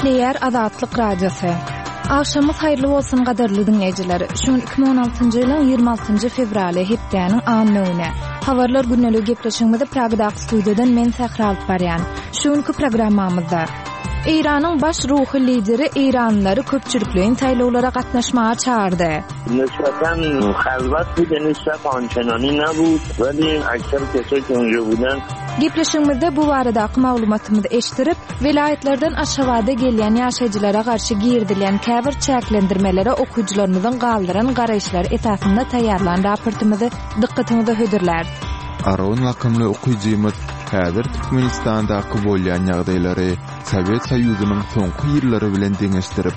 Gepleýär Azatlyk Radiosy. Agşamyňyz haýyrly bolsun gadyrly diňleýjiler. Şu gün 2016-njy ýylyň 26-njy fewraly, hepdäniň anna güni. Habarlar gündeligi gepleşigimizi Pragadaky studiýadan men Sähra alyp barýan. Şu günki programmamyzda Eýranyň baş ruhy lideri eýranlylary köpçülikleýin saýlawlara gatnaşmaga çagyrdy. Nisbeten halwat bud ýani saf ançenani nabud weli ekser kesoi ke unja buden. Gepleşigimizde bu baradaky maglumatymyzy eşdirip, welaýatlardan Aşgabada gelýän ýaşaýjylara garşy girizilýän käbir çäklendirmelere okyjylarymyzyň galdyran garaýyşlary esasynda taýýarlan raportymyzy dykgatyňyza hödürläris. Aron lakymly okyjymyz häzir Türkmenistandaky bolýan ýagdaýlary Sowet Soýuzynyň soňky ýyllary bilen deňeşdirip,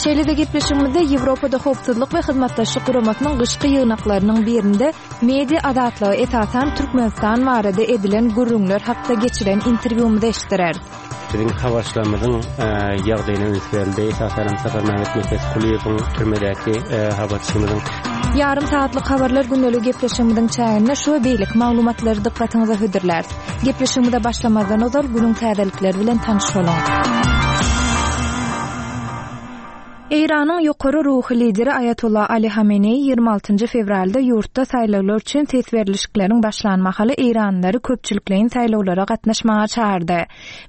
Şeýle-de gepleşigimizde Ýewropada Howpsuzlyk we Hyzmatdaşlyk Guramasynyň gyşky ýygnaklarynyň birinde media azatlygy, esasan Türkmenistan barada edilen gürrüňler hakda geçiren interwýumyzy eşitdireris. Biziň habarçylarymyzyň ýagdaýyna üns berildi. Esasanam Saparmämmet Nepesgulyýewiň türmedäki habarçymyzyň. Ýarym sagatlyk habarlar gündeligi gepleşigimiziň çäginde şu we beýleki maglumatlary dykgatyňyza hödürläris. Gepleşigimize başlamazdan ozal günüň täzelikleri bilen tanyş boluň. Eýranyň ýokary ruhy lideri Aýatolla Ali Hameneýi 26-njy fewralda ýurtda saýlawlar üçin ses berlişikleriň başlan mahaly eýranlylary köpçülikleýin saýlawlara gatnaşmaga çagyrdy.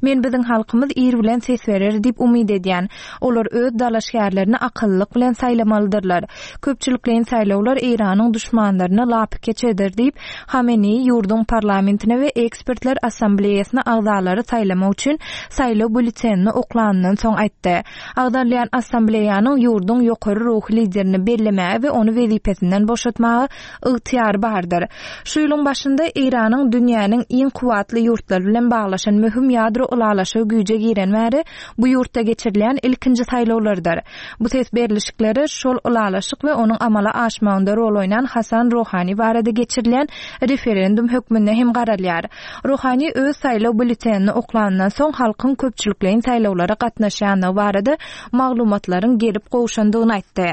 Men biziň halkymyz ir bilen ses berer diýip umyt edýän. Olar öz dalaşgärlerini akyllylyk bilen saýlamalydyrlar. Köpçülikleýin saýlawlar Eýranyň duşmanlaryny lapykeç eder diýip, Hameneýi ýurduň parlamentine we ekspertler assambleýasyna agzalary saýlamak üçin saýlaw býulletenini oklanyndan soň aýtdy. Agzalýan assambleýanyň ýurduň ýokary ruhy liderini bellemäge we ony wezipesinden boşatmaga ygtyýary bardyr. Şu ýylyň başynda Eýranyň dünýäniň iň kuwwatly ýurtlary bilen baglaşan möhüm ýadro ylalaşygy güýje giren bäri bu ýurtda geçirilýän ilkinji saýlawlardyr. Bu ses berlişikleri şol ylalaşyk we onuň amala aşmagynda rol oýnan Hasan Rohani barada geçirilýän referendum hökmünde hem garalýar. Rohani öz saýlaw býulletenini oklanyndan soň halkyň köpçülikleýin saýlawlara gatnaşýandygy barada maglumatlaryň gelip gowşandygyny aýtdy.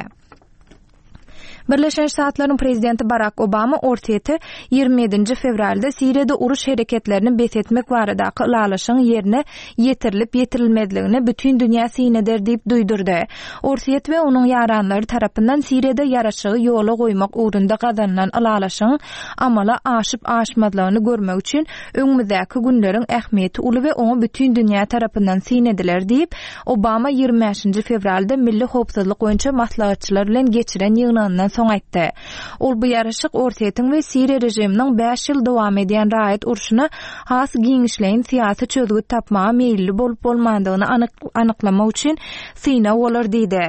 Birleşen Ştatlaryň prezidenti Barak Obama Orsýete 27-nji fewralda Siriýada uruş hereketlerini bes etmek baradaky ylalaşygyň ýerine ýetirilip-ýetirilmezligine bütin dünýä syn eder diýip duýdurdy. Orsýet we onuň ýaranlary tarapyndan Siriýada ýaraşygy ýola goýmak ugrunda gazanylan ylalaşygyň amala aşyp-aşmazlygyny görmek üçin öňümizdäki günleriň ähmiýeti uly we oňa bütin dünýä tarapyndan syn ediler diýip, Obama 25-nji fewralda milli howpsuzlyk boýunça maslahatçylar bilen geçiren ýygnagyndan soň aýtdy. Ol bu ýaraşyk Orsýetiň we Siriýa režiminiň bäş ýyl dowam edýän raýat urşuna has giňişleýin syýasy çözgüt tapmaga meýilli bolup-bolmandygyny anyklamak üçin synag bolar diýdi.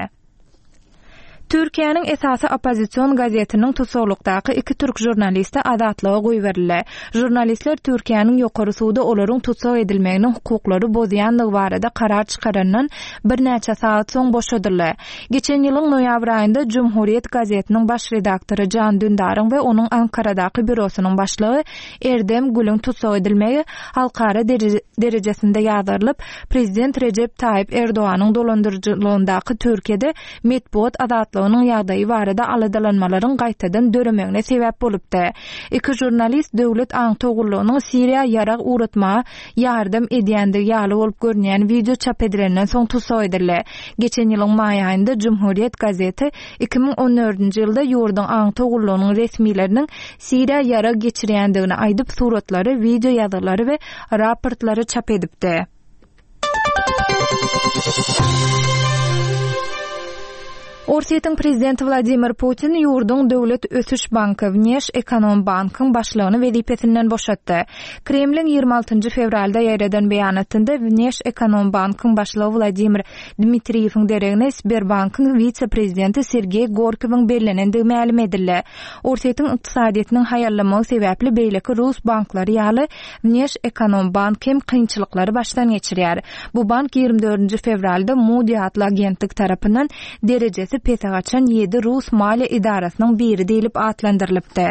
Türkiýäniň esasy oppozision gazetiniň tussaglykdaky iki türk žurnalisti azatlyga goýberildi. Žurnalistler Türkiýäniň ýokary sudy olaryň tussag edilmeginiň hukuklary bozýanlygy barada karar çykarandan birnäçe sagat soň boşadyldy. Geçen ýylyň noýabr aýynda Cumhuriyet gazetiniň baş redaktory Jan Dündaryň we onuň Ankaradaky býurosynyň başlygy Erdem Gülüň tussag edilmegi halkara derejesinde ýazgarylyp, prezident Rejep Taýyp Erdoganyň dolandyryjylygyndaky Türkiýede metbugat azatlygynyň ýagdaýy barada aladalanmalaryň gaýtadan döremegine sebäp bolupdy. Iki žurnalist döwlet aňtaw gullugynyň Siriýa ýarag ugratmaga ýardam edýändigi ýaly bolup görünýän wideo çap edilenden soň tussag edildi. Geçen ýylyň maý aýynda Cumhuriyet gazeti 2014-nji ýylda ýurduň aňtaw gullugynyň resmileriniň Siriýa ýarag geçirýändigini aýdyp, suratlary, wideo ýazgylary we raportlary çap edipdi. Orsýetiň prezidenti Wladimir Putin ýurduň Döwlet ösüş banky, Wneşekonombankyň başlygyny wezipesinden boşatdy. Kremliň 26-njy fewralda ýaýradan beýanatynda Wneşekonombankyň başlygy Wladimir Dmitriýewiň deregine Sberbankyň wise-prezidenti Sergeý Gorkowyň bellenendigi mälim edildi. Orsýetiň ykdysadyýetiniň haýallamagy sebäpli beýleki rus banklary ýaly Wneşekonombank hem kynçylyklary başdan geçirýär. Bu bank 24-nji fewralda Moody atly agentlik tarapyndan derejesi pese gaçan ýedi rus maliýe edarasynyň biri diýlip atlandyrylypdy.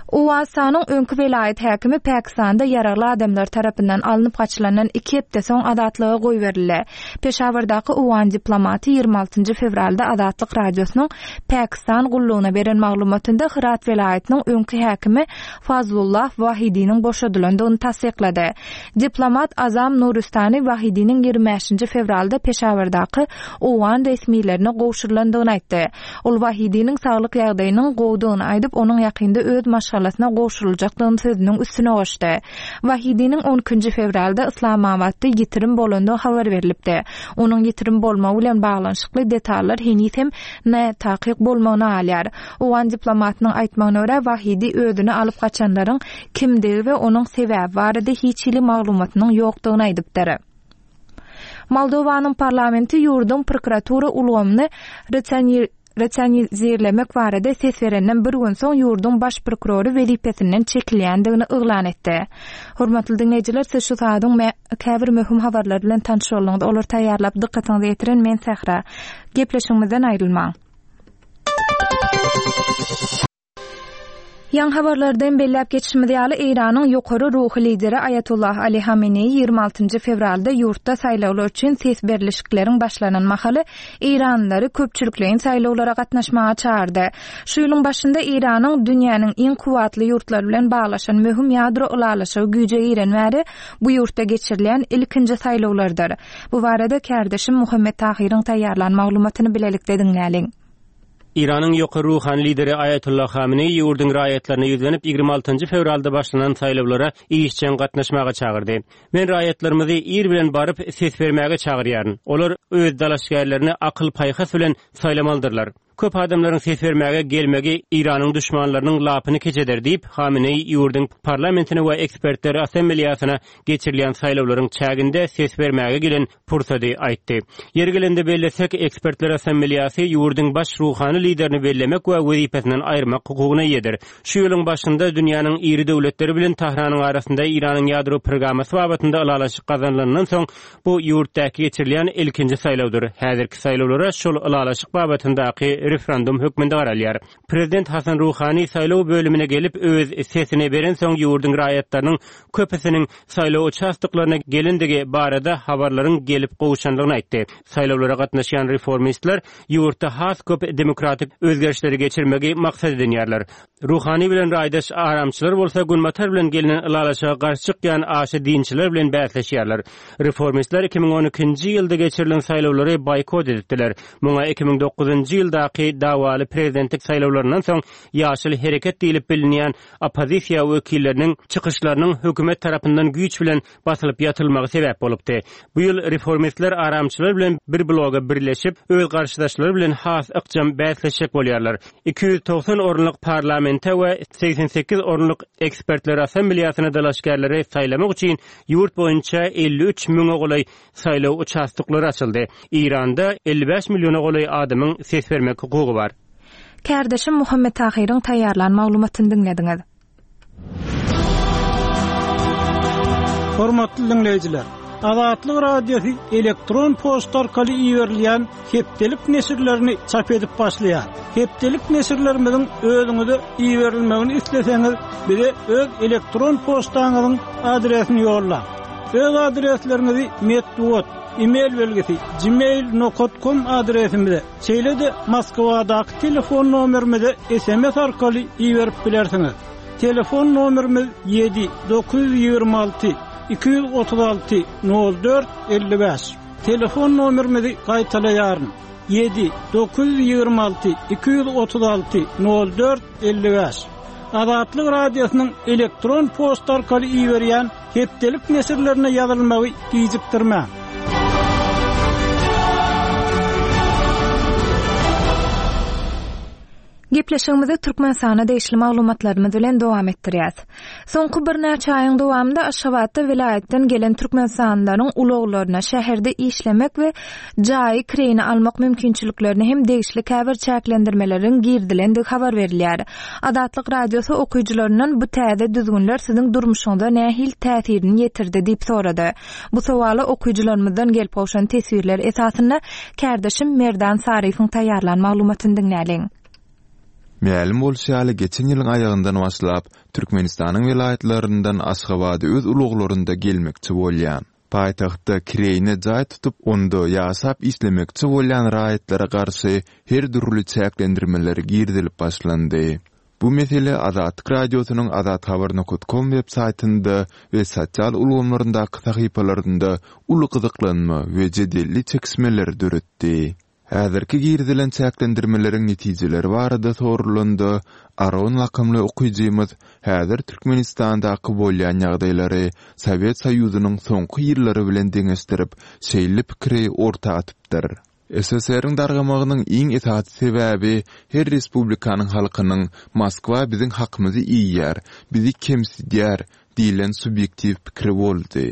Owganystanyň öňki welaýat häkimi Pakistanda ýaragly adamlar tarapyndan alnyp gaçylandan iki hepde soň azatlyga goýberildi. Peşawardaky owgan diplomaty 26 fewralda Azatlyk Radiosynyň Pakistan gullugyna beren maglumatynda Hyrat welaýatynyň öňki häkimi Fazlullah Wahidiniň boşadylandygyny tassyklady. Diplomat Azam Nuristani Wahidiniň 25 fewralda Peşawardaky owgan resmilerine gowşurylandygyny aýtdy. Ol Wahidiniň saglyk ýagdaýynyň gowudygyny aýdyp, onuň ýakynda öz maşgalasyna gowşuryljakdygyny sözüniň üstüne goşdy. Wahidiniň on ikinji fewralda Yslamabatda ýitirim bolandygy habar berlipdi. Onuň ýitirim bolmagy bilen baglanyşykly detallar heniz hem nätakyk bolmagyna galýar. Owgan diplomatynyň aýtmagyna görä, Wahidi özüni alyp gaçanlaryň kimdigi we onuň sebäbi barada hiç hili maglumatynyň ýokdugyny aýdypdyr. Moldowanyň parlamenti ýurduň prokuratura ulgamyny rasionalizirlemek barada ses berenden bir gün soň ýurduň baş prokurory wezipesinden çekilýändigini yglan etdi. Hormatly diňleýjiler, siz şu saadyň käbir möhüm habarlary bilen tanyş bolduňyz. Olary taýýarlap dykgatyňyza ýetiren men Sähra. Gepleşigimizden aýrylmaň. Ýaňy habarlardan belläp geçişimiz ýaly, Eýranyň ýokary ruhy lideri Aýatollah Ali Hameneýi 26 fewralda ýurtda saýlawlar üçin ses berlişikleriň başlanan mahaly eýranlylary köpçülikleýin saýlawlara gatnaşmaga çagyrdy. Şu ýylyň başynda Eýranyň dünýäniň iň kuwwatly ýurtlary bilen baglaşan möhüm ýadro ylalaşygy güýje giren bäri bu ýurtda geçirilýän ilkinji saýlawlardyr. Bu barada kärdeşim Muhammet Tahyryň taýýarlan maglumatyny bilelikde diňläliň. Eýranyň ýokary ruhany lideri Aýatollah Hameneýi ýurduň raýatlaryna ýüzlenip, 26 fewralda başlanan saýlawlara işjeň gatnaşmaga çagyrdy. Men raýatlarymyzy ir bilen baryp, ses bermäge çagyrýaryn. Olar öz dalaşgärlerini akyl-paýhas bilen saýlamalydyrlar. Köp adamlaryň ses bermäge gelmegi Eýranyň duşmanlarynyň lapyny keç eder diýip, Hameneýi ýurduň parlamentine we ekspertler assambleýasyna geçirilýän saýlawlaryň çäginde ses bermäge gelen pursady aýtdy. Ýeri gelende bellesek, Ekspertler Assambleýasy ýurduň baş ruhany liderini bellemek we wezipesinden aýyrmak hukugyna eýedir. Şu ýylyň başynda dünýäniň iri döwletleri bilen Tahranyň arasynda Eýranyň ýadro programmasy babatynda ylalaşyk gazanylandan soň, bu ýurtdaky geçirilýän ilkinji saýlawdyr. Häzirki saýlawlara şol ylalaşyk babatyndaky referendum hökmünde garalýar. Prezident Hasan Ruhani saýlaw bölümine gelip, öz sesini berensoň ýurduň raýatlarynyň köpüsiniň saýlaw uçastoklaryna gelendigi barada habarlaryň gelip gowşandygyny aýtdy. Saýlawlara gatnaşýan reformistler ýurtda has köp demokratik özgerişleri geçirmegi maksat edinýärler. Ruhani bilen raýdaş aramçylar bolsa Günbatar bilen gelnen ylalaşyga garşy çykýan aşa dinçiler bilen bäsleşýärler. Reformistler 2012-nji ýylda geçirilen saýlawlary boýkot edipdiler. Muňa 2009-njy ýyldaky dawaly prezidentlik saýlawlaryndan soň Ýaşyl hereket diýlip bilinýän oppozisiýa wekilleriniň çykyşlarynyň hökümet tarapyndan güýç bilen basylyp ýatyrylmagy sebäp bolupdy. Bu ýyl reformistler aramçylar bilen bir bloga birleşip, öz garşydaşlary bilen has ykjam bäsleşjek bolýarlar. 290 orunlyk parlamente we 88 orunlyk ekspertler assambleýasyna dalaşgärleri saýlamak üçin ýurt boýunça 53 müňe golaý saýlaw uçastoklary açyldy. Eýranda 55 milliona golaý adamyň ses bermek hukugy bar. Kärdeşim Muhammet Tahyryň taýýarlan maglumatyny diňlediňiz. Hormatly diňleýjiler! Azatlyk Radiosy elektron poçta arkaly iberilýän hepdelik neşirlerini çap edip başlaýar. Hepdelik neşirlerimiziň özüňize iberilmegini isleseňiz, bize öz elektron poçtaňyzyň adresini ýollaň. Öz adresleriňizi metbugat, e-mail belgisi, gmail nokat kom adresimize, şeýle-de Moskwadaky telefon nomerimize sms arkaly iberip bilersiňiz. Telefon nomerimiz ýedi, 926 236 04 55. Telefon nomerimizi gaýtalaýaryn, ýedi, 926 236 04 55. Azatlyk Radiosynyň elektron poçta arkaly iberýän Hepdelik neşirlerine ýazylmagy gijikdirmäň. Gepleşigimizi Türkmenistana degişli maglumatlarymyz bilen dowam etdirýäs. Soňky birnäçe aýyň dowamynda Aşgabatda welaýatdan gelen türkmenistanlylaryň ulaglaryna, şäherde işlemek we jaýy kireýine almak mümkinçiliklerine hem degişli käbir çäklendirmeleriň girizilendigi habar berilýär. Azatlyk Radiosy okyjylaryndan bu täze düzgünler siziň durmuşyňyza nähili täsirini ýetirdi diýip sorady. Bu sowala okyjylarymyzdan gelip gowşan teswirler esasynda kärdeşim Merdan Saryýewiň taýýarlan maglumatyny diňläliň. Mälim bolşy ýaly, geçen ýylyň aýagyndan başlap, Türkmenistanyň welaýatlaryndan Aşgabada öz ulaglarynda gelmekçi bolýan, paýtagtda kireýine jaý tutup, onda ýaşap işlemekçi bolýan raýatlara garşy her dürli çäklendirmeler girizilip başlandy. Bu mesele Azatlyk Radiosynyň azathabar nokat kom web saýtynda we sosial ulgamlaryndaky sahypalarynda uly gyzyklanma we jedelli çekişmeleri döretdi. Häzirki girizilen çäklendirmeleriň netijeleri barada soralanda, Aron lakamly okyjymyz häzir Türkmenistandaky bolýan ýagdaýlary Sowet Soýuzynyň soňky ýyllary bilen deňeşdirip, şeýle pikiri orta atypdyr. SSR-iň dargamagynyň iň esasy sebäbi her respublikanyň halkynyň Moskwa biziň hakymyzy iýýär, bizi kemsidýär diýlen subýektiw pikiri boldy.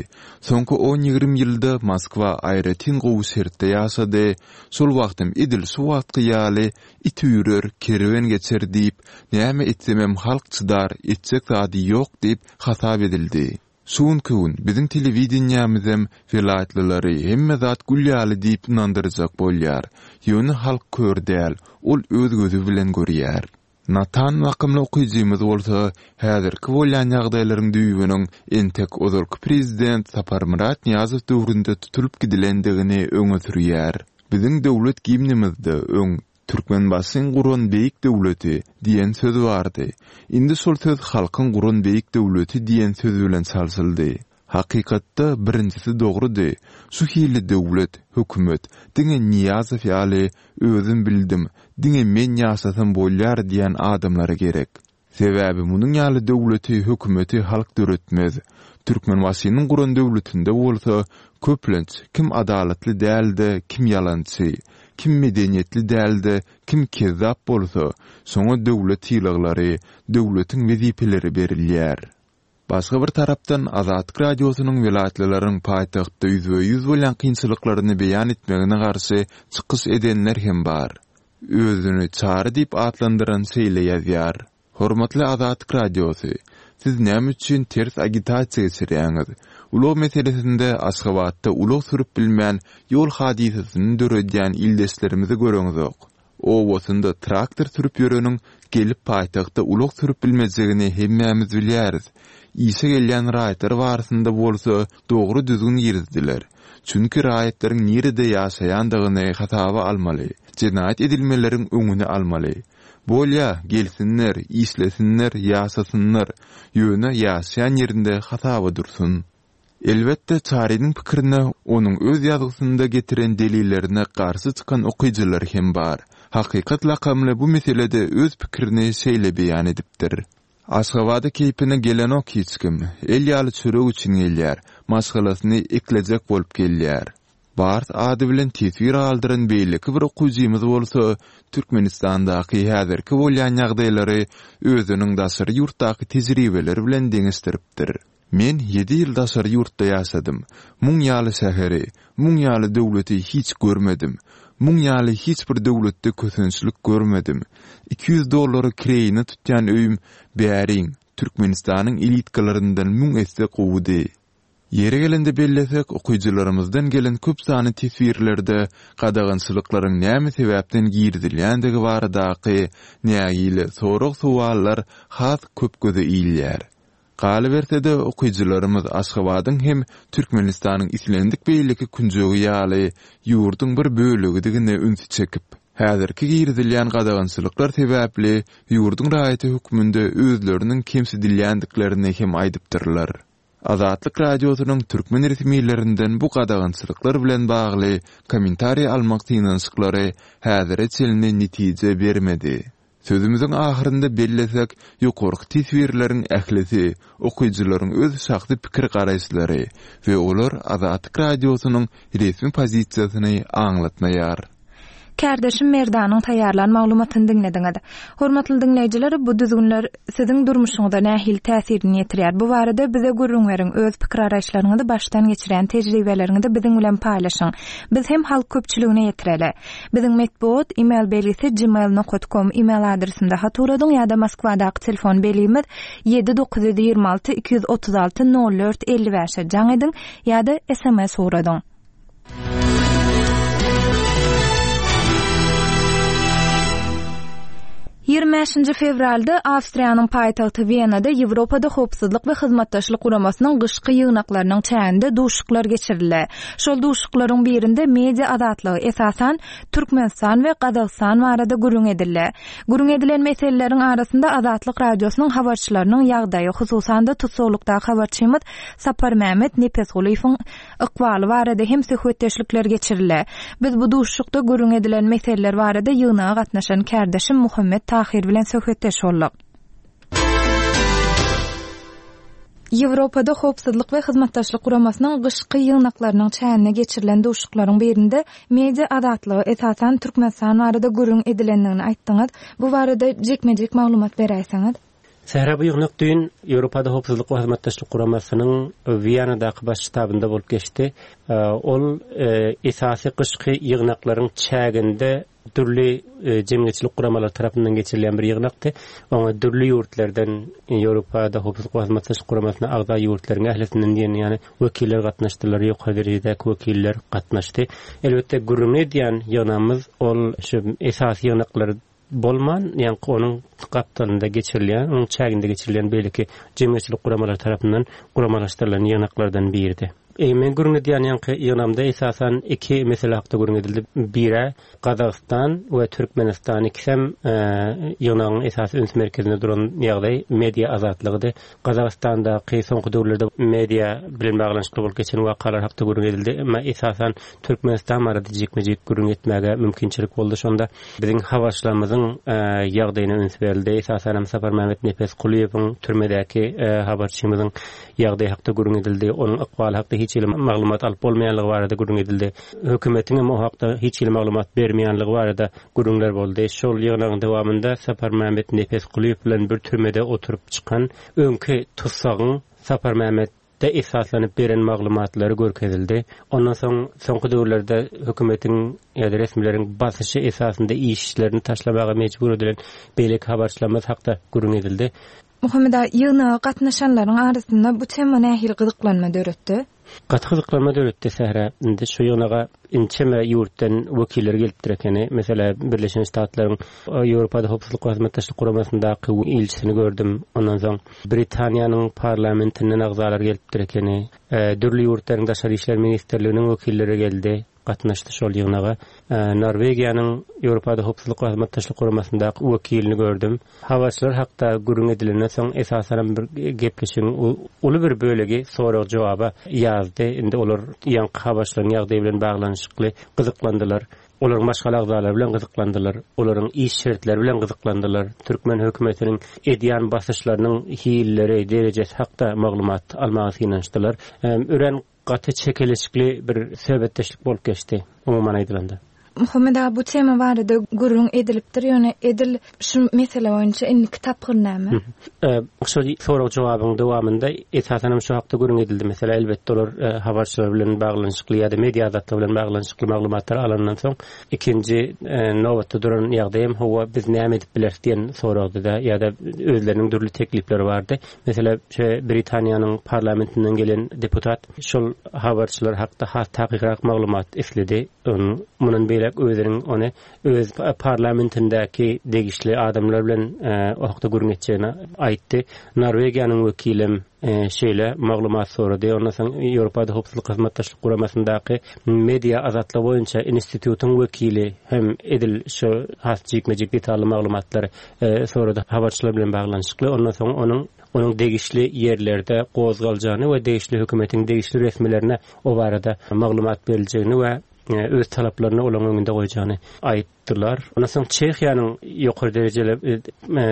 Soňky on-ýigrimi ýylda Moskwa aýratyn gowy şertde ýaşady, şol wagtam edil şu wagtky ýaly it üýrer, kerwen geçer diýip, näme etsemem halk çydar, etjek zady ýok diýip hasap edildi. Şu günki gün biziň telewideniýämizem welaýatlylary hemme zat gül ýaly diýip ynandyrjak bolýar. Ýöne halk kör däl, ol öz gözi bilen görýär. Natan lakymly okyjymyz bolsa, häzirki bolýan ýagdaýlaryň düýbüniň entek ozalky prezident Saparmyrat Nyýazow döwründe tutulyp gidilendigini öňe sürýär. Biziň döwlet gimnimizde öň Türkmenbaşyň guran beýik döwleti diýen söz bardy. Indi şol söz halkyň guran beýik döwleti diýen söz bilen çalşyldy. Hakykatda birinjisi dogrudy, şu hili döwlet, hökümet diňe Nyýazow ýaly özüm bildim, diňe men ýaşasam bolýar diýen adamlara gerek. Sebäbi munuň ýaly döwleti, hökümeti halk döretmez. Türkmenbaşynyň guran döwletinde bolsa, köplenç, kim adalatly däl-de, kim ýalançy, kim medeniýetli däl-de, kim kezzap bolsa, şoňa döwlet sylaglary, döwletiň wezipeleri berilýär. Başga bir tarapdan, Azatlyk Radiosynyň welaýatlylaryň paýtagtda ýüzbe-ýüz bolýan kynçylyklaryny beýan etmegine garşy çykyş edenler hem bar. Özüni Çary diýip atlandyran şeýle ýazýar, Hormatly Azatlyk Radiosy, siz näme üçin ters agitasiýa geçirýäňiz? Ulag meselesinde Aşgabatda ulag sürüp bilmän ýol hadysasyny döredýän ildeşlerimizi göreňzok. Obasynda traktor sürüp ýöreniň gelip paýtagtda ulag sürüp bilmejegini hemmämiz bilýäris. Işe gelýän raýatlar barasynda bolsa dogry düzgün girizdiler. Çünki raýatlaryň nirede ýaşaýandygyny hasaba almaly, jenaýat edilmeleriň öňüni almaly. Bolýa, gelsinler, işlesinler, ýaşasynlar, ýöne ýaşaýan ýerinde hasaba dursun. Elbetde, Çarynyň pikirine onuň öz ýazgysynda getiren delillerine garşy çykan okyjylar hem bar. Hakykat lakamly bu meselede öz pikirini şeýle beýan edipdir. Aşgabada keýpine gelenok hiç kim. El ýaly çörek üçin gelýär. Maşgalasyny eklejek bolup gelýär. Bars ady bilen teswir galdyran beýleki bir okyjymyz bolsa Türkmenistandaky häzirki bolýan ýagdaýlary özüniň daşary ýurtdaky tejribeleri bilen deňeşdiripdir. Men ýedi ýyl daşary ýurtda ýaşadym. Muň ýaly şäheri, muň ýaly döwleti hiç görmedim. Muň ýaly hiç bir döwletde kösençlik görmedim. 200 dollara kireýine tutýan öýüm bäriň, Türkmenistanyň elitkalaryndan müň esse gowudy. Ýeri gelende bellesek, okyjylarymyzdan gelen köp sanly teswirlerde gadagançylyklaryň näme sebäpden girizilýändigi baradaky nägile sorag-sowallar has köp göze ilýär. Galyberse-de, okyjylarymyz Aşgabadyň hem Türkmenistanyň islendik beýleki künjegi ýaly ýurduň bir bölegidigine ünsi çekip, häzirki girizilýän gadagançylyklar sebäpli ýurduň raýaty hökmünde özleriniň kemsidilýändiklerini hem aýdypdyrlar. Azatlyk Radiosynyň türkmen resmilerinden bu gadagançylyklar bilen bagly kommentariý almak synanyşyklary häzire çenli netije bermedi. Sözümiziň ahyrynda bellesek, ýokarky teswirleriň ählisi okyjylaryň öz şahsy pikir-garaýyşlary we olar Azatlyk Radiosynyň resmi pozisiýasyny aňlatmaýar. Kärdeşim Merdanyň taýýarlan maglumatyny diňlediňiz. Hormatly diňleýjiler, bu düzgünler siziň durmuşyňyza nähili täsirini ýetirýär? Bu barada bize gürrüň beriň, öz pikir-garaýyşlaryňyzy, başdan geçirýän tejribeleriňizi biziň bilen paýlaşyň. Biz hem halk köpçüligine ýetireli. Biziň metbugat email belgisi gmail nokat kom email adresimize hat ugradyň ýa-da Moskwadaky telefon belgimiz ýedi 926 236 04 55-e jaň ediň ýa-da sms ugradyň. 25-nji fewralda Awstriýanyň paýtagty Wenada Ýewropada Howpsuzlyk we Hyzmatdaşlyk Guramasynyň gyşky ýygnaklarynyň çäginde duşuşyklar geçirildi. Şol duşuşyklaryň birinde media azatlygy, esasan, Türkmenistan we Gazagystan barada gürrüň edildi. Gürrüň edilen meseleleriň arasynda Azatlyk Radiosynyň habarçylarynyň ýagdaýy, hususan-da, tussaglykdaky habarçymyz Saparmämmet Nepesgulyýewiň ykbaly barada hem söhbetdeşlikler geçirildi. Biz bu duşuşykda gürrüň edilen meseleler barada ýygnaga gatnaşan kärdeşim Muhammet Tahyr bilen söhbetdeş bolduk. Ýewropada Howpsuzlyk we Hyzmatdaşlyk Guramasynyň gyşky ýygnaklarynyň çäginde geçirilen duşuşyklaryň birinde media azatlygy, esasan, Türkmenistan barada gürrüň edilendigini aýtdyňyz. Bu barada jikme-jik maglumat beräýseňiz? Sähra bu ýygnak düýn Ýewropada Howpsuzlyk we Hyzmatdaşlyk Guramasynyň Wiýanadaky baş ştabynda bolup geçdi. Ol esasy gyşky ýygnaklaryň çäginde dürli jemgyýetçilik guramalary tarapyndan geçirilýän bir ýygnakdy. Oňa dürli ýurtlardan Ýewropada Howpsuzlyk we Hyzmatdaşlyk Guramasyna agza ýurtlaryň ählisinden diýen ýaly wekiller gatnaşdylar, ýokary derejedäki wekiller gatnaşdy. Elbetde gürrüňini edýän ýygnagymyz ol şu esasy ýygnaklar bolman, ýaňky onuň gapdalynda geçirilýän, onuň çäginde geçirilýän beýleki jemgyýetçilik guramalary tarapyndan guramalaşdyrylan ýygnaklardan biridi. Men gürrüň edýän ýaňky ýygnagymda esasan iki mesele hakda gürrüň edildi. Biri Gazagystan we Türkmenistan ikisem ýygnagyň esasy üns merkezinde duran ýagdaý media azatlygydy. Gazagystandaky soňky döwürlerde media bilen baglanyşykly bolup geçen wakalar hakda gürrüň edildi. Emma esasan Türkmenistan barada jikme-jik gürrüň etmäge mümkinçilik boldy. Şonda biziň habarçylarymyzyň ýagdaýyna üns berildi. Esasanam Saparmämmet Nepesgulyýewiň türmedäki habarçymyzyň ýagdaýy hakda gürrüň edildi. Onuň ykbaly hakda hiç hili maglumat alyp bolmaýanlygy barada gürrüň edildi. Hökümetiň hem o hakda hiç hili maglumat bermeýänligi barada gürrüňler boldy. Şol ýygnagyň dowamynda Saparmämmet Nepesgulyýew bilen bir türmede oturyp çykan öňki tussagyň Saparmämmetde esaslanyp beren maglumatlary görkezildi. Ondan soň soňky döwürlerde hökümetiň ýa-da resmileriň basyşy esasynda işlerini taşlamaga mejbur edilen beýleki habarçylarymyz hakda gürrüň edildi. Muhammet aga, ýygnaga gatnaşanlaryň arasynda bu tema nähili gyzyklanma döretdi? Gaty gyzyklanma döretdi Sähra. Indi şu ýygnaga ençeme ýurtdan wekiller gelipdir ekeni. Meselä, Birleşen Ştatlaryň Ýewropada Howpsuzlyk we Hyzmatdaşlyk Guramasyndaky ilçisini gördüm. Ondan soň Britaniýanyň parlamentinden agzalar gelipdir ekeni. Dürli ýurtlaryň daşary işler ministrliginiň wekilleri geldi. gatnaşdy şol ýygnaga. Norwegiýanyň Ýewropada Howpsuzlyk we Hyzmatdaşlyk Guramasyndaky wekilini gördüm. Habarçylar hakda gürrüň edilenden soň, esasanam bir gepleşigiň uly bir bölegi sorag-jogaba ýazdy. Indi olar ýaňky habarçylaryň ýagdaýy bilen baglanyşykly gyzyklandylar. Olaryň maşgala agzalary bilen gyzyklandylar. Olaryň iş şertleri bilen gyzyklandylar. Türkmen hökümetiniň edýän basyşlarynyň hilleri, derejesi hakda maglumat almaga synanyşdylar. Örän Gaty çekeleşikli bir söhbetdeşlik bolup geçdi, umuman aýdylanda. Muhammet aga, bu tema barada gürrüň edilipdir, ýöne edil şu mesele boýunça indiki tapgyr näme? Şol sorag-jogabyň dowamynda esasanam şu hakda gürrüň edildi. Meselem, elbetde olar habarçylar bilen baglanyşykly ýa-da media azatlygy bilen baglanyşykly maglumatlary alandan soň, ikinji nobatda duran ýagdaý hem hawa, biz näme edip bileris diýen soragdy-da, ýa-da özleriniň dürli teklipleri bardy. Meselem, şu Britaniýanyň parlamentinden gelen deputat şol habarçylar hakda has takykrak maglumat isledi. Onuň mundan beýläk özüniň ony öz parlamentindäki degişli adamlar bilen o hakda gürrüň etjegini aýtdy. Norwegiýanyň wekilem şeýle maglumat sorady. Ondan soň Ýewropada Howpsuzlyk Hyzmatdaşlyk Guramasyndaky media azatlygy boýunça institutyň wekili hem edil şu has jikme-jik detally maglumatlary sorady habarçylar bilen baglanyşykly, ondan soň onuň onuň degişli ýerlerde gozgaljagyny we degişli hökümetiň degişli resmilerine o barada maglumat beriljegini we öz talaplaryny olaryň öňünde goýjagyny aýtdylar. Ondan soň Çehiýanyň ýokary derejeli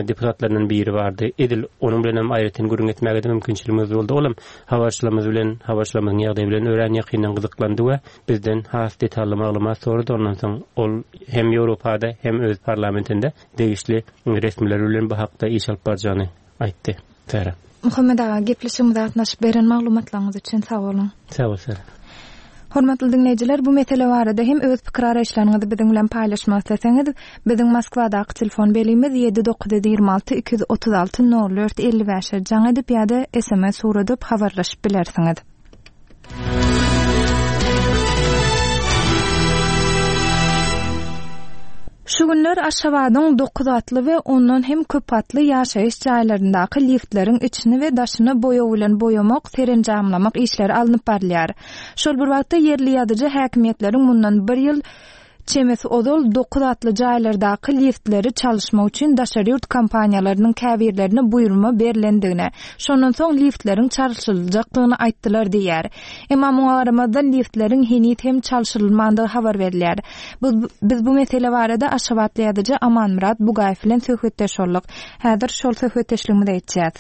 deputatlaryndan biri bardy. Edil onuň bilen hem aýratyn gürrüň etmäge-de mümkinçiligimiz boldy. Ol hem habarçylarymyz bilen, habarçylarymyzyň ýagdaýy bilen örän ýakyndan gyzyklandy we bizden has detally maglumat sorady. Ondan soň ol hem Ýewropada, hem öz parlamentinde degişli resmiler bilen bu hakda iş alyp barjagyny aýtdy. Sähra. Muhammet aga, gepleşigimize gatnaşyp beren maglumatlaryňyz üçin sag boluň. Sag bol, Sähra. Hormatly diňleýjiler, bu mesele barada hem öz pikir-garaýyşlaryňyzy biziň bilen paýlaşmak isleseňiz, biziň Moskwadaky telefon belgimiz ýedi 926 236 04 55-e jaň edip ýa-da sms ugradyp habarlaşyp bilersiňiz. Şu günler Aşgabadyň dokuzgatly we ondan hem köpgatly ýaşaýyş jaýlaryndaky liftleriň içini we daşyny boýag bilen boýamak, serenjamlamak işleri alnyp barylýar. Şol bir wagtda ýerli ýazyjy häkimiýetleriň mundan bir ýyl çemesi ozal dokuzgatly jaýlardaky liftleri çalyşmak üçin daşary ýurt kompaniýalarynyň käbirlerine buýurma berlendigini, şondan soň liftleriň çalşyljakdygyny aýtdylar diýýär. Emma muňa garamazdan liftleriň heniz hem çalşyrylmandygy habar berilýär. Biz bu mesele barada aşgabatly ýazyjy Amanmyrat Bugaýew bilen söhbetdeş bolduk. Häzir şol söhbetdeşligimize geçýäs.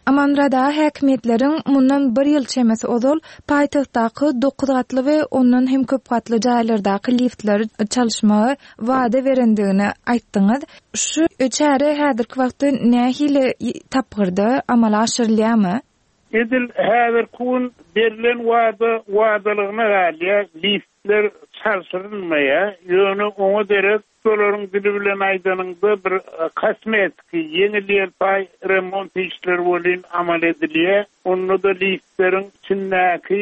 Amanmyrat aga häkimiýetleriň mundan bir ýyl çemesi ozal paýtagtdaky dokuzgatly we ondan hem köp gatly jaýlardaky liftleri çalyşmagy wada berendigini aýtdyňyz. Şu çäre häzirki wagtda nähili tapgyrda amala aşyrylýarmy? Edil häzirki gün berlen wada wadalygyna galýar, liftler çalşyrylmaýar. Ýöne oňa derek şolaryň dili bilen aýdanyňda bir kosmetiki, ýeňil-ýelpaý remont işleri welin amal edilýär. Onda-da liftleriň içindäki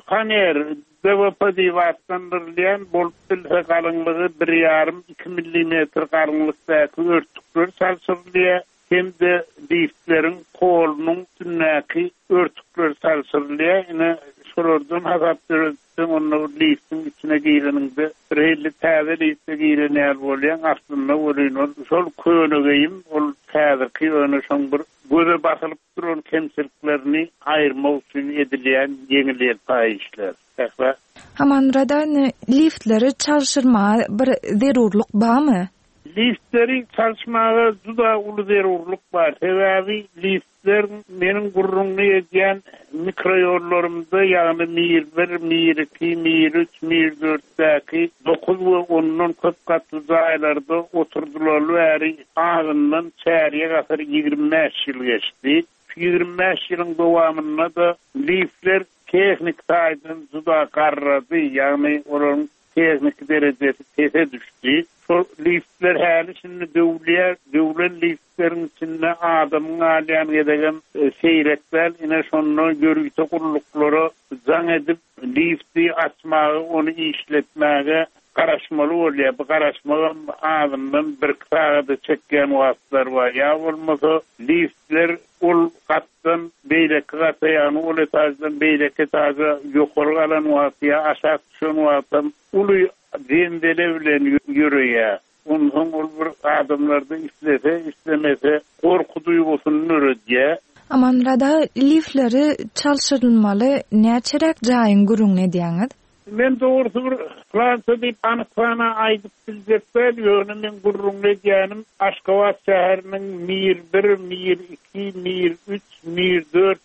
faner, DWP diýip atlandyrylýan, bolup bilse galyňlygy bir ýarym, iki millimetr galyňlykdaky örtükler çalşyrylýar. Hem-de liftleriň polunyň üstündäki örtükler çalşyrylýar. Ine, şolardan hasap ýöretseň, onda bir liftiň içine gireniňde, birhili täze lifte giren ýaly bolýaň. Aslynda welin ol şol köne geýim, ol häzirki, ýöne şoň bir göze basylyp duran kemçiliklerini aýyrmak üçin edilýän ýeňil-ýelpaý işler. Sähra. Amanmyrat aga, indi liftleri çalşyrmaga bir zerurlyk barmy? Liftleri çalyşmaga juda uly zerurlyk bar. Sebäbi liftler meniň gürrüňini edýän mikroýollarymda, ýagny Mir bir, Mir iki, Mir üç, Mir dörtdäki dokuz we ondan köp gatly jaýlarda oturdylaly bäri azyndan çärýek asyr, 25 ýyl geçdi. Şu 25 ýylyň dowamynda-da liftler tehniki taýdan juda garrady, ýagny olaryň tehniki derejesi pese düşdi. Şol liftler häli-şindi döwülýär. Döwlen liftleriň içinde adamyň galýan gezegem seýrek däl. Ine, şonda ýörite gulluklara jaň edip, lifti açmaga, ony işletmäge garaşmaly bolýar. Bu garaşmagam azyndan birki sagada çekýän wagtlar bar. Ýa bolmasa, liftler ol gatdan beýleki gata, ýagny ol etaždan beýleki etaža ýokary galan wagty ýa aşak düşen wagtam uly zenzele bilen ýöreýär. Onsoň ol bir adamlarda islese, islemese gorky duýgusyny döredýär. Amanmyrat aga, liftleri çalşyrylmaly näçeräk jaýyň gürrüňini edýäňiz? Men dogrusy bir pylança diýip anyk sana aýdyp biljek däl, ýöne meň gürrüňini edýänim Aşgabat şäheriniň Mir bir, Mir iki, Mir üç, Mir dört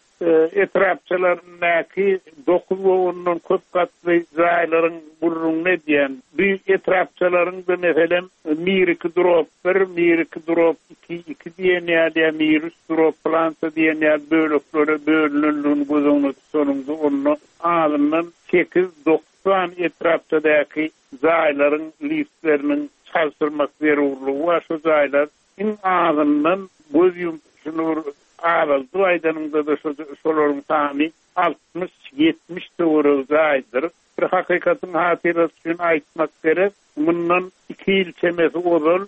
etrapçalaryndaky dokuz we ondan köp gatly jaýlaryň gürrüňini edýän. Bu etrapçalaryň-da meselem Mir iki drop bir, Mir iki drop iki, iki diýen ýaly ýa Mir üç drop pylança diýen ýaly böleklere bölünendigini göz öňünde tutanyňda onda azyndan sekiz-dokuz sany etrapçadaky jaýlaryň liftleriniň çalşyrmak zerurlygy bar. Şu jaýlar iň azyndan göz ýumup şuny bir azaldyp aýdanyňda-da şolaryň sany 60-70 töweregi jaýdyr. Bir hakykatyň hatyrasy üçin aýtmak gerek, mundan iki ýyl çemesi ozal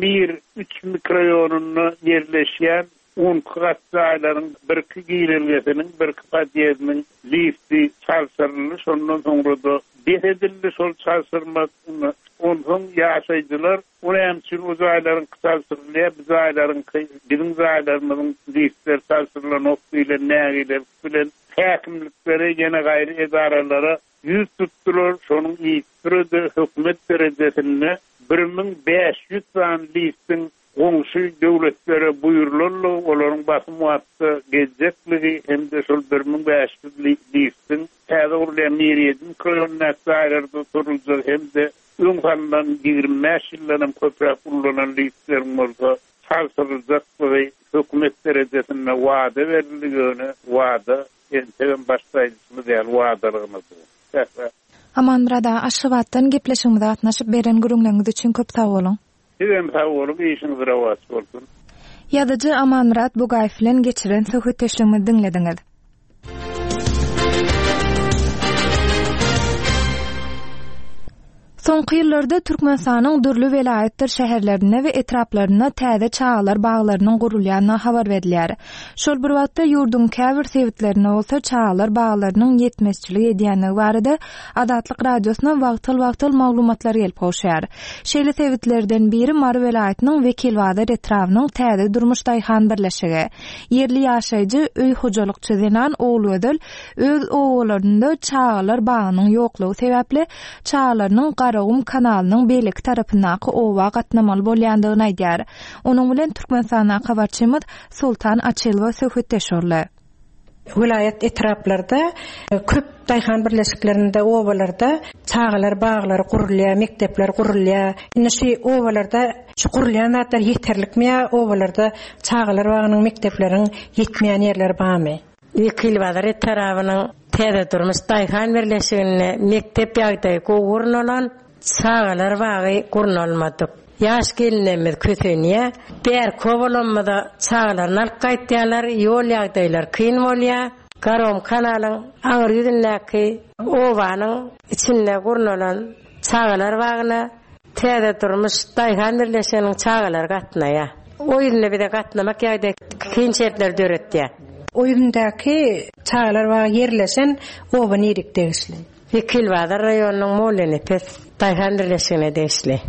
Mir üç mikroýonynda ýerleşýän On iki gat jaýlaryň birki girelgesiniň, birki podýezdiniň lifti çalşyryldy, şondan soňra-da bes edildi şol çalşyrmak. Onsoň ýaşaýjylar, O näme üçin o jaýlaryňky çalşyrylýar, bu jaýlaryňky, biziň jaýlarymyzyň liftleri çalşyrylanok diýlen nägilelik bilen häkimliklere, ýene gaýry edaralara ýüz tutdular. Şonuň yzysüre-de hökümet derejesinde 1500 sany liftiň Goňşy döwletlere buýrulanlygy, olaryň basym wagtda geljekligi hem-de şol 1500 liftiň täze gurulýan Mir ýedi mikroýonyndaky jaýlarda oturyljagy hem-de öň salnan 25 ýyldan hem köpräk ullanan liftleriň bolsa çalşyryljaklygy hökümet derejesinde wada berildi, ýöne wada entegem başda aýdyşymyz ýaly wadalygyna dur. Sähra. Amanmyrat aga Aşgabatdan gepleşigimize gatnaşyp beren gürrüňleriňiz üçin köp sag boluň. Sizem sag boluň, işiňiz rowaç bolsun. Ýazyjy Amanmyrat Bugaýew bilen geçiren söhbetdeşligimizi diňlediňiz. Soňky ýyllarda Türkmenistanyň dürli welaýatdyr şäherlerinde we etraplarynda täze çagalar baglarynyň gurulýandygy habar berilýär. Şol bir wagtda, ýurduň käbir sebitlerinde bolsa çagalar baglarynyň ýetmezçilik edýändigi barada Azatlyk Radiosyna wagtal-wagtal maglumatlar gelip gowşýar. Şeýle sebitlerden biri Mary welaýatynyň Wekilbazar etrabynyň Täze durmuş daýhan birleşigi. Ýerli ýaşaýjy, öý hojalykçy zenan Ogulgözel öz obalarynda çagalar bagynyň ýoklugy sebäpli, çagalarynyň Garagum kanalynyň beýleki tarapyndaky oba gatnamaly bolýandygyny aýdýar. Onuň bilen Türkmenistandaky habarçymyz Soltan Açylowa söhbetdeş boldy. Welaýat etraplarda köp daýhan birleşiklerinde, obalarda çagalar baglary gurulýar, mekdepler gurulýar. Indi şu obalarda şu gurulýan zatlar ýeterlikmi ýa obalarda çagalar bagynyň, mekdepleriň ýetmeýän ýerleri barmy? Wekilbazar etarabynyň Täze durmuş daýhan birleşiginde mekdep ýagdaýy gowy gurnalan, çagalar bagy gurnalmadyk. Ýaş gelinlerimiz kösenýär. Bärki obalarymyza çagalaryny alyp gaýtýarlar, ýol ýagdaýlary kyn bolýar. Garagum kanalyň aňry ýüzündäki obanyň içinde gurnalan çagalar bagyna Täze durmuş daýhan birleşiginiň çagalary gatnaýar. O ýüzünde bize gatnamak ýagdaýy kyn şertleri döretýär. O ýüzündäki çagalar bagy ýerleşen oba nirik degişli? Wekilbazar raýonynyň Mollanepes daýhan birleşigine degişli.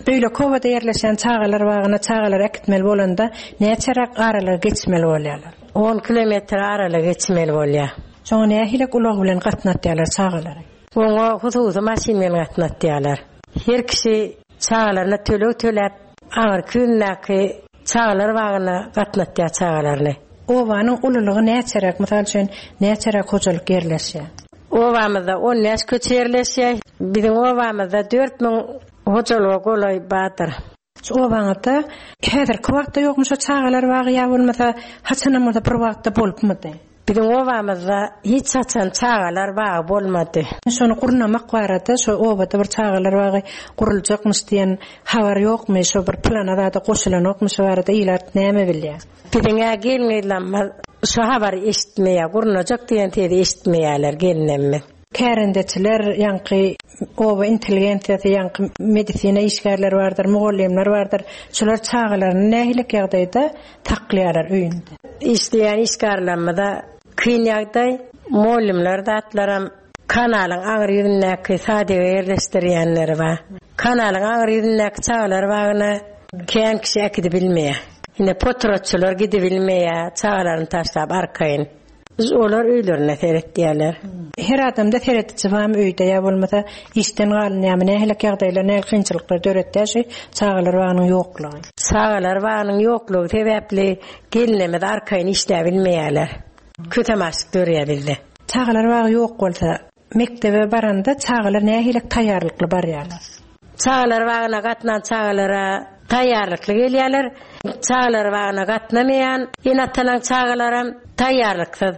Beýleki obada ýerleşen çagalar bagyna çagalary äkitmeli bolanda näçeräk aralygy geçmeli bolýarlar? On kilometr aralygy geçmeli bolýar. Şoňa nähilek ulag bilen gatnatýarlar çagalary? Oňa hususy maşyn bilen gatnatýarlar. Her kişi çagalaryna töleg töläp, aňyrky ýüzündäki çagalar bagyna gatnatýar çagalaryny. Obanyň ululygy näçeräk, mysal üçin, näçeräk hojalyk ýerleşýär? Obamyzda 15 köçe ýerleşýär. Biziň obamyzda 4000 hojalyga golaý bardyr. Şu obaňyzda häzirki wagtda ýokmy şo çagalar bagy ýa bolmasa haçanam bolsa bir wagtda bolupmydy? Biziň obamyzda hiç haçan çagalar bagy bolmady. Şony gurnamak barada şo obada bir çagalar bagy guruljakmyş diýen habar ýokmy şo bir plana zada goşulanokmy şo barada ilat näme bilýär? Biziň-ä gelin-gyzlarymyz şo habary eşitmeýär, gurnajak diýen sezi eşitmeýärler gelinlerimiz. Kärendeçiler, ýaňky oba intelligensiýasy, ýaňky medisina işgärleri bardyr, mugallymlar bardyr. Şular çagalaryny nähiliek ýagdaýda saklaýarlar öýünde? Işleýän işgärlerimize kyn ýagdaý. Mugallymlar zatlaram kanalyň aňry ýüzündäki sadige ýerleşdirýänleri bar. Kanalyň aňry ýüzündäki çagalar bagyna kän kişi äkidibilmeýär. Ine potratçylar gidibilmeýär, çagalaryny taşlap arkaýyn. Olar öýlerine seretýärler. Her adamda serediji barmy öýde ýa bolmasa işden galynýarmy nähilek ýagdaýlar nähili kynçylyklar döretýär şu çagalar bagynyň ýoklugy. Çagalar bagynyň ýoklugy sebäpli gelinlerimiz arkaýyn işläbilmeýärler. Kösem açlyk dörýär bizde. Çagalar bagy ýok bolsa Mekdebe baranda çagalar nähili taýýarlykly barýarlar? Çagalar bagyna gatnan çagalara taýýarlykly gelýärler. Çagalar bagyna gatnamaýan ene-atalaň çagalaram taýýarlyksyz.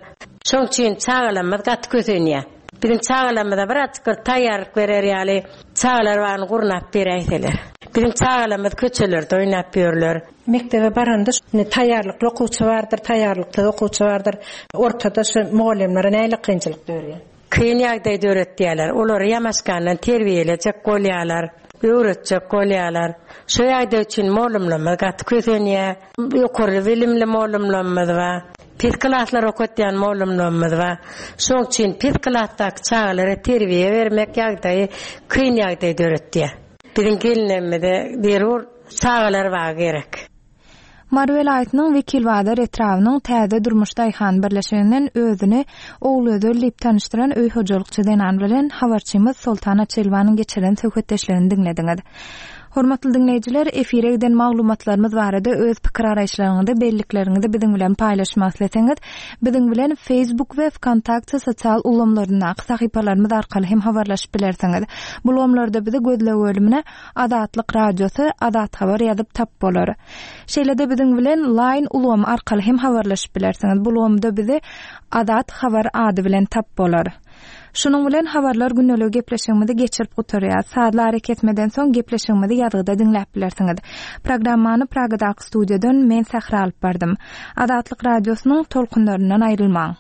Şoň üçin çagalarymyz gaty kösenýär. Biziň çagalarymyza birazjyk bir taýýarlyk berer ýaly çagalar bagyny gurnap beräýseler. Biziň çagalarymyz köçelerde oýnap ýörler. Mekdebe baranda indi taýýarlykly okuwçy bardyr, taýýarlyksyz okuwçy bardyr. Ortada şu mugallymlara nähili kynçylyk dörýär? Kyn ýagdaý döretýärler. Olary ýamaşgandan terbiýelejek bolýarlar, öwretjek bolýarlar. Şo ýagdaý üçin mugallymlarymyz gaty kösenýär. Ýokary bilimli mugallymlarymyz bar. Pes klaslar okatýan mugallymlarymyz bar. Şoň üçin pes klasdaky çagalara terbiýe bermek ýagdaýy kyn ýagdaý döretýär. Biziň gelinlerimize zerur çagalar bagy gerek. Mary welaýatynyň Wekilbazar etrabynyň Täze durmuş daýhan birleşiginden özüni Ogulgözel diýip tanyşdyran öý hojalykçy zenan bilen habarçymyz Soltan Açylowanyň geçiren söhbetdeşligini diňlediňiz. Hormatly diňleýjiler, efire giden maglumatlarymyz barada öz pikir-garaýyşlaryňyzy, bellikleriňizi biziň bilen paýlaşmak isleseňiz, biziň bilen Facebook we Wkontakte sosial ulgamlaryndaky sahypalarymyz arkaly hem habarlaşyp bilersiňiz. Bu ulgamlarda bizi gözleg bölümine Azatlyk Radiosy, Azat Habar ýazyp tap bolar. Şeýle-de biziň bilen Line ulgamy arkaly hem habarlaşyp bilersiňiz. Bu ulgamda bizi Azat Habar ady bilen tap bolar. Şunuň bilen Habarlar gündeligi gepleşigimizi geçirip gutarýas. Sazly arakesmeden soň gepleşigimizi ýazgyda diňläp bilersiňiz. Programmany Pragadaky studiýadan men Sähra alyp bardym. Azatlyk Radiosynyň tolkunlaryndan aýrylmaň!